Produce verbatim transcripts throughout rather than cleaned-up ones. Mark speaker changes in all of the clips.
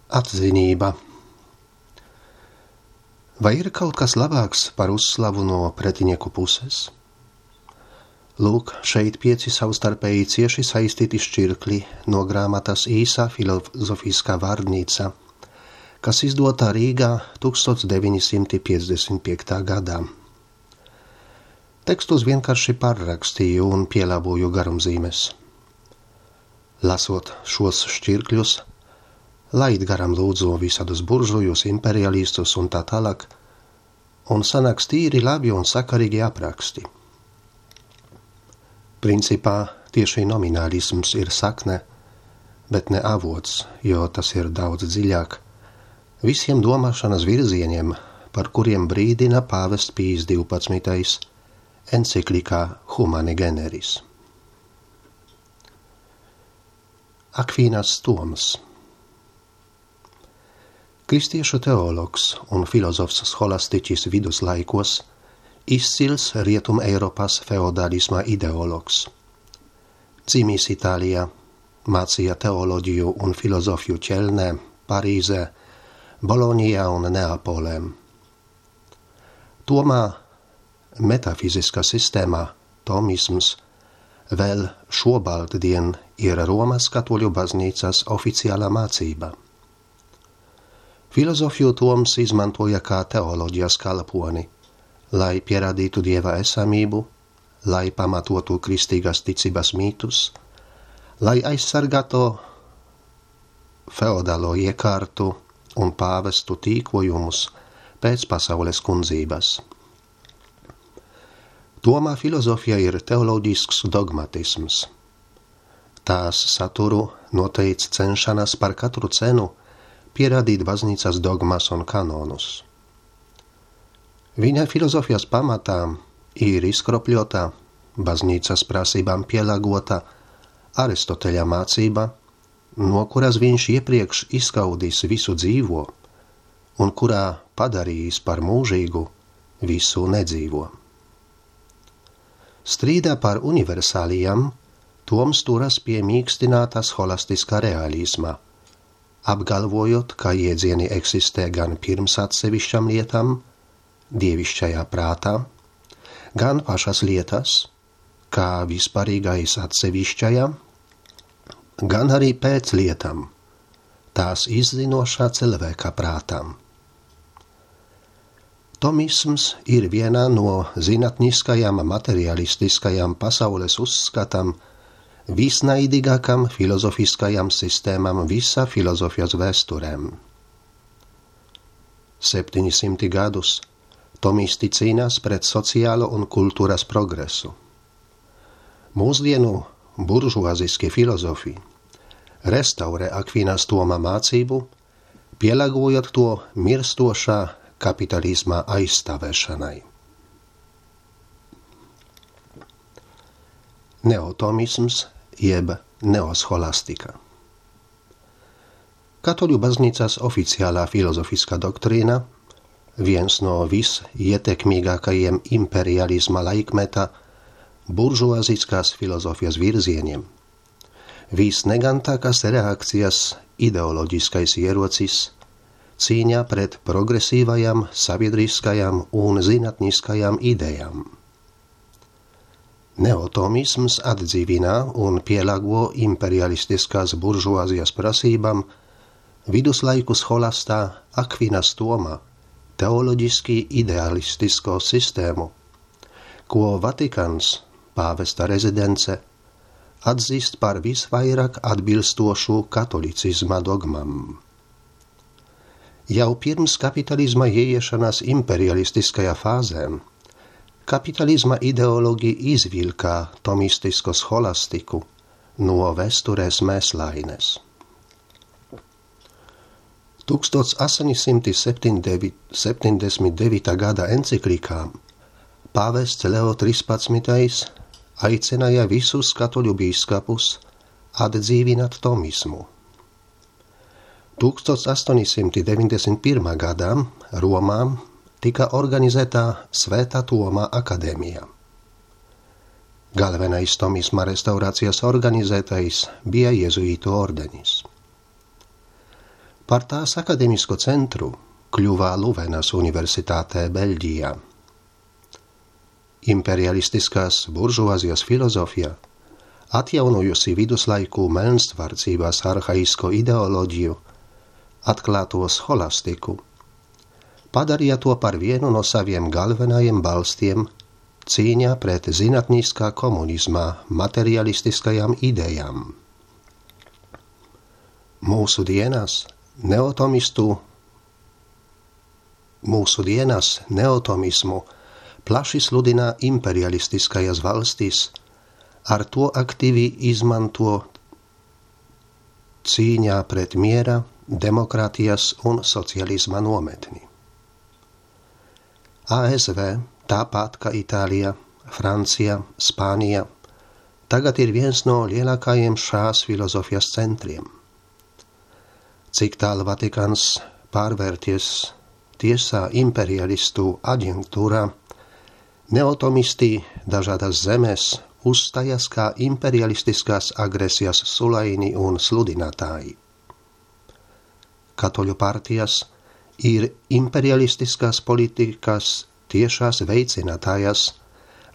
Speaker 1: Atzinība. Vai ir kaut kas labāks par uzslavu no pretinieku puses? Lūk, šeit pieci savstarpēji cieši saistīti šķirkļi no grāmatas Īsā filozofiskā vārnīca, kas izdota Rīgā deviņdesmit piecdesmit gadā. Tekstus vienkārši pārrakstīju un pielāgoju garumzīmes. Lasot šos šķirkļus, laid garam lūdzu visādus buržujus, imperialistus un tā tālāk, un sanāks tīri labi un sakarīgi apraksti. Principā tieši nominālisms ir sakne, bet ne avots, jo tas ir daudz dziļāk, visiem domāšanas virzieniem, par kuriem brīdina pāvests Pijs divpadsmitais enciklikā Humane Generis. Akvīnas Toms. Kristiešu teologs un filozofs scholastiķis viduslaikos, izcils Rietum Eiropas feodalisma ideologs. Dzimis Itālijā, mācīja teoloģiju un filozofiju Ķelnē, Parīzē, Bolonijā un Neapolē. Tomā metafiziskā sistēmā, tomisms, vēl šobaldien ir Romas katoļu baznīcas oficiālā mācība. Filozofiju Toms izmantoja kā teoloģijas kalponi, lai pierādītu Dieva esamību, lai pamatotu kristīgās ticības mītus, lai aizsargātu feodālo iekārtu un pāvestu tīkojumus pēc pasaules kundzības. Tomā filozofija ir teoloģisks dogmatisms. Tās saturu noteic cenšanās par katru cenu pierādīt baznīcas dogmas un kanonus. Viņa filozofijas pamatā ir izkropļota, baznīcas prasībām pielāgota Aristoteļa mācība, no kuras viņš iepriekš izskaudīs visu dzīvo un kurā padarījis par mūžīgu visu nedzīvo. Strīdā par universālijām Toms turas pie mīkstinātā scholastiskā realisma, apgalvojot, ka jēdzieni eksistē gan pirms atsevišķām lietām, dievišķajā prātā, gan pašas lietas, kā vispārīgais atsevišķajā, gan arī pēc lietām, tās izzinošā cilvēka prātām. Tomisms ir viena no zinātniskajām materialistiskajām pasaules uzskatām visnaidīgākām filozofiskajām sistēmām visā filozofijas vēsturēm. Septiņsimti gadus tomisti cīnās pret sociālo un kultūras progresu. Mūsdienu buržuāziski filozofi restaurē Akvīnas Toma mācību, pielāgojot to mirstošā kapitalisma aizstāvēšanai. Neotomisms jeb neoscholastika. Katoļu baznīcas oficiālā filozofiskā doktrīna, viens no visietekmīgākajiem imperialisma laikmeta buržuāziskās filozofijas virzieniem, visnegantākās reakcijas ideoloģiskais ierocis cīņā pret progresīvajām, sabiedriskajām un zinātniskajām idejām. Neotomisms atdzīvina un pielāgo imperialistiskās buržuāzijas prasībām viduslaiku scholastā Akvīnas Toma teoloģiski idealistisko sistēmu, ko Vatikāns, pāvesta rezidence, atzīst par visvairāk atbilstošu katolicizma dogmam. Jau pirms kapitalisma ieiešanās imperialistiskajā fāzē kapitalisma ideologi izvilka tomistisko scholastiku no vēstures mēslaines. astoņsimt septiņdesmit devītā gada enciklikā pāvests Leo trīspadsmitais aicināja visus katoļu bīskapus atdzīvināt tomismu. astoņsimt deviņdesmit pirmā gadā Romā tika organizēta Svētā Toma akadēmija. Galvenais tomisma restaurācijas organizētais bija jezuītu ordenis. Par tās akademisko centru kļuva Luvenas universitātē Beļģijā. Imperialistiskās buržuāzijas filozofija, atjaunojusi viduslaiku melnstvārdzībās arhaisko ideoloģiju, atklāto scholastiku, padarīja to par vienu no saviem galvenajiem balstiem cīņā pret zinātniskā komunismā materialistiskajām idejām. Mūsu dienās neotomistu, mūsu dienās neotomismu plaši sludina imperialistiskajās valstīs, ar to aktīvi izmanto cīņā pret miera, demokrātijas un socialisma nometni. A S V, tāpat kā Itālija, Francija, Spānija, tagad ir viens no lielākajiem šās filozofijas centriem. Cik tālu Vatikāns pārvērties tiesā imperialistu aģentūrā, neotomisti dažādas zemes uzstājas kā imperialistiskās agresijas sulaini un sludinātāji. Katoļu partijas ir imperialistiskās politikas tiešās veicinātājas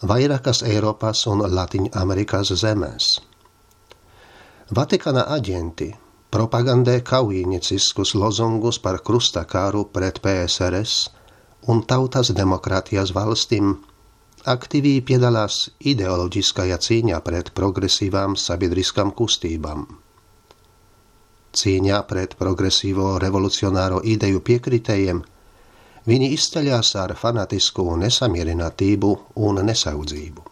Speaker 1: vairākas Eiropas un Latīņamerikas zemēs. Vatikāna aģenti propagandē kaujnieciskus lozungus par krustakāru pret P S R S un tautas demokrātijas valstīm, aktīvi piedalās ideoloģiskajā cīņā pret progresīvām sabiedriskām kustībām. Cīņā pret progresīvo revolucionāro ideju piekritējiem viņi izceļās ar fanatisku nesamierinātību un nesaudzību.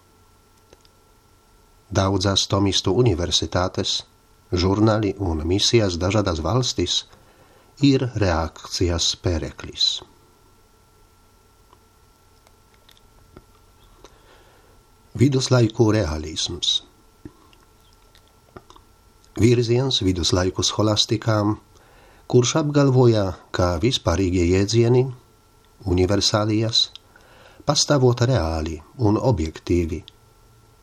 Speaker 1: Daudzas tomistu universitātes, žurnāli un misijas dažādās valstīs ir reakcijas pēreklis. Viduslaiku realisms. Virziens viduslaiku scholastikām, kurš apgalvoja, ka vispārīgie jēdzieni, universālijas, pastāvot reāli un objektīvi,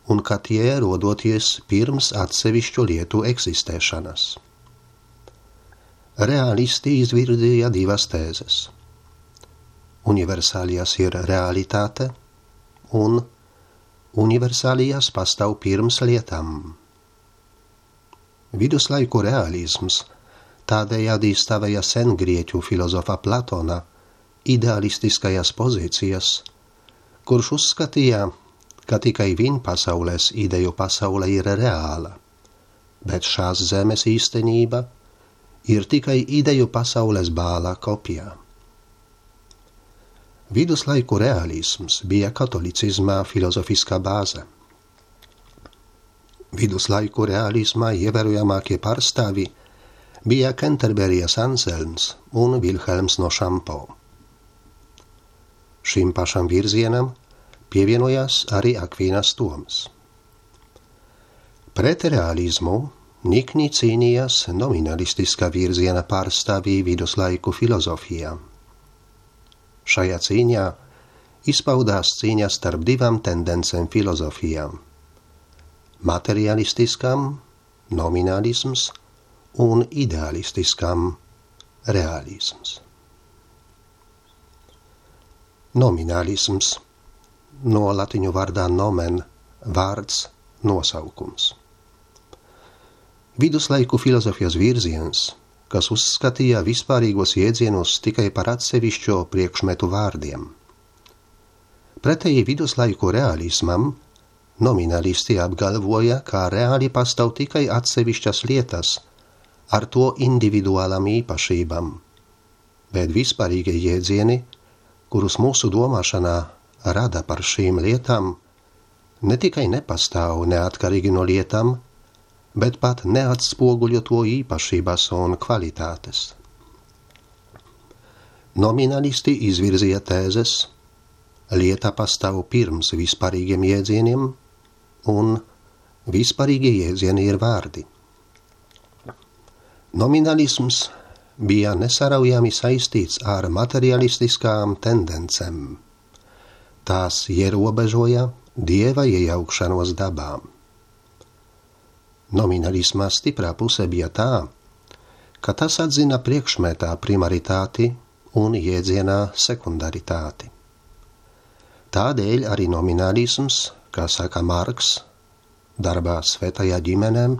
Speaker 1: un ka tie rodoties pirms atsevišķu lietu eksistēšanas. Realisti izvirzīja divas tēzes. Universālijas ir realitāte, un universālijas pastāv pirms lietām. Viduslaiku realisms tādējādi stāvēja sengrieķu filozofa Platona idealistiskajās pozīcijas, kurš uzskatīja, ka tikai viņa pasaules ideju pasaule ir reāla, bet šās zemes īstenība ir tikai ideju pasaules bāla kopijā. Viduslaiku realisms bija katolicismā filozofiskā bāze. Viduslaiku realismā ievērojamākie pārstāvi bija Kenterberijas Anselms un Vilhelms no Šampo. Šim pašam virzienam pievienojās arī Akvīnas Toms. Pret realismu nikni cīnījās nominalistiskā virziena pārstāvī viduslaiku filozofijā. Šajā cīņā izpaudās cīņa starp divām tendencēm filozofijām – materialistiskām, nominālisms un idealistiskām, realisms. Nominālisms, no latiņu vārdā nomen, vārds, nosaukums. Viduslaiku filozofijas virziens, kas uzskatīja vispārīgos jēdzienus tikai par atsevišķo priekšmetu vārdiem. Pretēji viduslaiku realismam, nominalisti apgalvoja, ka reāli pastāv tikai atsevišķas lietas ar to individuālām īpašībām, bet vispārīgie jēdzieni, kurus mūsu domāšanā rada par šīm lietām, ne tikai nepastāv neatkarīgi no lietām, bet pat neatspoguļo to īpašības un kvalitātes. Nominalisti izvirzīja tēzes, lieta pastāv pirms vispārīgiem jēdzieniem, un vispārīgie jēdzieni ir vārdi. Nominalisms bija nesaraujami saistīts ar materialistiskām tendencēm. Tās ierobežoja dieva iejaukšanos dabā. Nominalisma stiprā puse bija tā, ka tas atzina priekšmetā primaritāti un jēdzienā sekundaritāti. Tādēļ arī nominālisms, kā saka Marks, darbā Svētajā ģimenēm,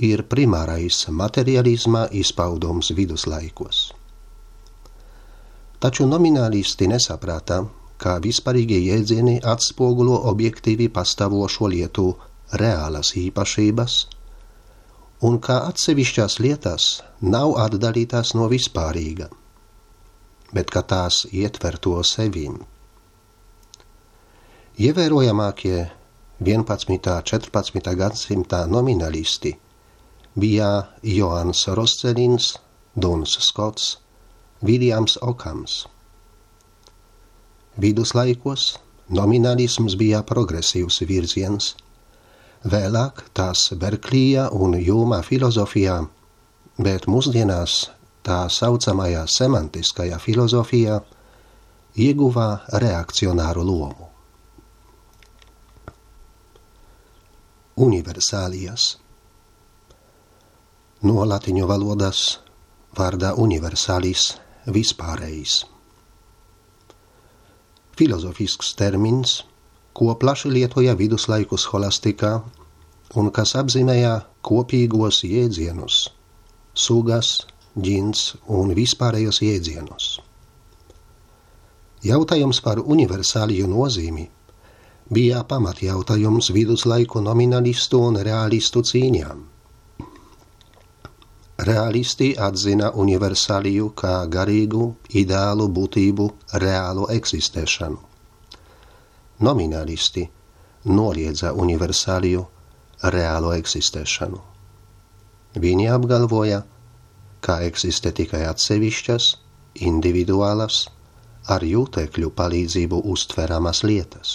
Speaker 1: ir primārais materialisma izpaudums viduslaikos. Taču nominālisti nesaprata, kā vispārīgie jēdzieni atspogulo objektīvi pastāvošo lietu reālas īpašības un kā atsevišķās lietas nav atdalītās no vispārīga, bet ka tās ietver to sevim. Ievērojamākie vienpadsmitā un četrpadsmitā gadsimtā nominālisti bija Joans Roscelins, Duns Skots, Viljams Okams. Viduslaikos nominālisms bija progresīvs virziens, vēlāk tās Berklija un Hjūma filozofijā, bet mūsdienās tā saucamajā semantiskajā filozofijā ieguvā reakcionāru lomu. Universālijas. No latiņu valodas vārdā universālis vispārējs. Filozofisks termins, ko plaši lietoja viduslaiku scholastikā un kas apzīmēja kopīgos jēdzienus, sugas, ģins un vispārējos jēdzienus. Jautājums par universāliju nozīmi bija pamatjautājums viduslaiku nominalistu un realistu cīņām. Realisti atzina universāliju kā garīgu, ideālu būtību, reālu eksistēšanu. Nominālisti noliedza universāliju, reālo eksistēšanu. Viņi apgalvoja, ka eksistē tikai atsevišķas, individuālas, ar jūtekļu palīdzību uztveramas lietas.